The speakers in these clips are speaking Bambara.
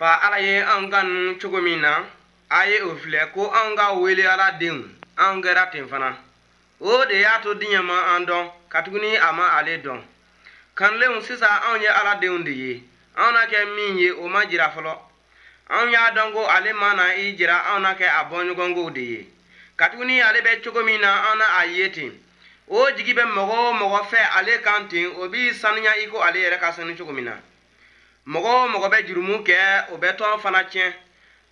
Fa Ala ye anw kanu cogo min na, a ye o filɛ ko anw ka wele Ala denw, anw kɛra ten fana. O de y'a to diɲɛ ma an dɔn, katuguni a ma ale dɔn. Kanulenw, sisan anw ye Ala denw de ye. Anw na kɛ min ye, o ma jira fɔlɔ. Anw y'a dɔn ko ale mana i jira, anw na kɛ a bɔɲɔgɔnkow de ye, katuguni ale bɛ cogo min na, an na a ye ten. O jigi bɛ mɔgɔ o mɔgɔ fɛ ale kan ten, o b'i saniya i ko ale yɛrɛ ka sanu cogo min na. Mɔgɔ o mɔgɔ bɛ jurumu kɛ, o bɛ tɔn fana tiɲɛ.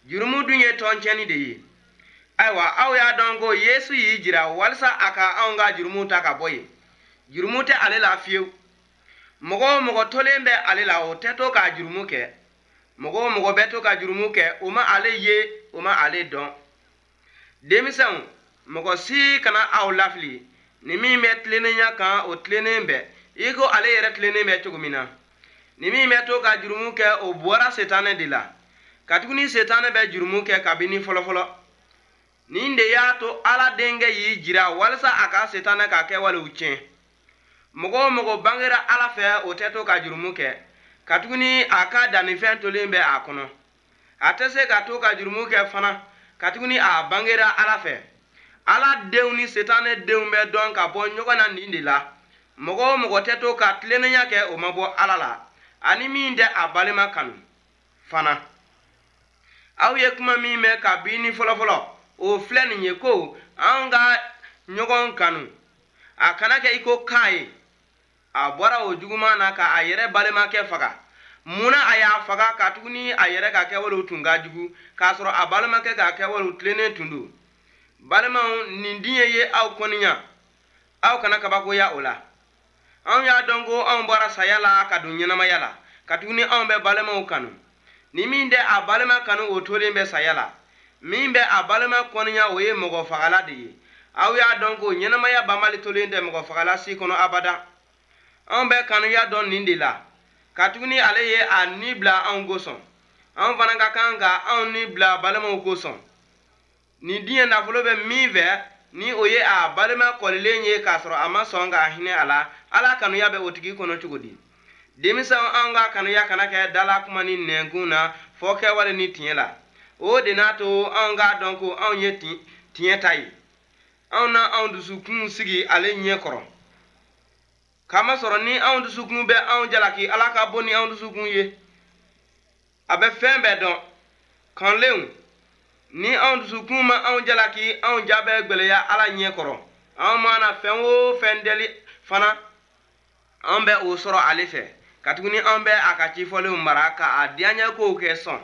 Jurumu dun ye tɔn tiɲɛni de ye. Ayiwa, aw y'a dɔn ko Yesu y'i jira walisa a ka anw ka jurumu ta ka bɔ yen. Jurumu tɛ ale la fiyewu. Mɔgɔ o mɔgɔ tolen bɛ ale la, o tɛ to ka jurumu kɛ. Mɔgɔ o mɔgɔ bɛ to ka jurumu kɛ, o ma ale ye, o ma ale dɔn. Denmisɛnw, mɔgɔ si kana aw lafili. Ni min bɛ tilennenya kan, o tilennen bɛ i ko ale yɛrɛ tilennen bɛ cogo min na. Ni min bɛ to ka jurumu kɛ, o bɔra Setanɛ de la, katuguni Setanɛ bɛ jurumu kɛ kabini fɔlɔfɔlɔ. Nin de y'a to Ala Denkɛ y'i jira walisa a ka Setanɛ ka kɛwalew tiɲɛ. Mɔgɔ o mɔgɔ bangera Ala fɛ, o tɛ to ka jurumu kɛ, katuguni a ka dannifɛn tolen bɛ a kɔnɔ. A tɛ se ka to ka jurumu kɛ fana, katuguni a bangera Ala fɛ. Ala denw ni Setanɛ denw bɛ dɔn ka bɔ ɲɔgɔn na nin de la: mɔgɔ o mɔgɔ tɛ to ka tilennenya kɛ, o ma bɔ Ala la, ani min tɛ a balima kanu fana. Aw ye kuma min mɛn kabini fɔlɔfɔlɔ, o filɛ nin ye ko an ka ɲɔgɔn kanu. A kana kɛ i ko Kaye. A bɔra o juguman na ka a yɛrɛ balimakɛ faga. Mun na a y'a faga? Katuguni a yɛrɛ ka kɛwalew tun ka jugu, k'a sɔrɔ a balimakɛ ka kɛwalew tilennen tun don. Balimaw, nin diɲɛ ye aw kɔniya, aw kana kabakoya o la. Anw y'a dɔn ko anw bɔra saya la ka don ɲɛnamaya la, katuguni anw bɛ balimaw kanu. Ni min tɛ a balima kanu, o tolen bɛ saya la. Min bɛ a balima kɔniya, o ye mɔgɔ fagala de ye. Aw y'a dɔn ko ɲɛnamaya banbali tolen tɛ mɔgɔ fagala si kɔnɔ abada. Anw bɛ kanuya dɔn nin de la, katuguni ale ye a ni bila anw kosɔn. Anw fana ka kan ka anw ni bila balimaw kosɔn. Nin diɲɛ nafolo bɛ min fɛ, ni o ye a balima kɔlilen ye k'a sɔrɔ a ma sɔn ka hinɛ a la, Ala kanuya bɛ o tigi kɔnɔ cogo di? Denmisɛnw, anw ka kanuya kana kɛ dala kuma ni nɛnkun na, fɔ kɛwale ni tiɲɛ la. O de n'a to anw k'a dɔn ko anw ye tiɲɛ ta ye. Anw na anw dusukun sigi ale ɲɛ kɔrɔ, kamasɔrɔ ni anw dusukun bɛ anw jalaki, Ala ka bon ni anw dusukun ye, a bɛ fɛn bɛɛ dɔn. Kanlenw, ni anw dusukun ma anw jalaki, anw ja bɛ gwɛlɛya Ala ɲɛ kɔrɔ. Anw mana fɛn o fɛn deli fana, an bɛ o sɔrɔ ale fɛ, katuguni an bɛ a ka cifɔlenw mara ka a diyaɲɛ kow kɛ sɔn.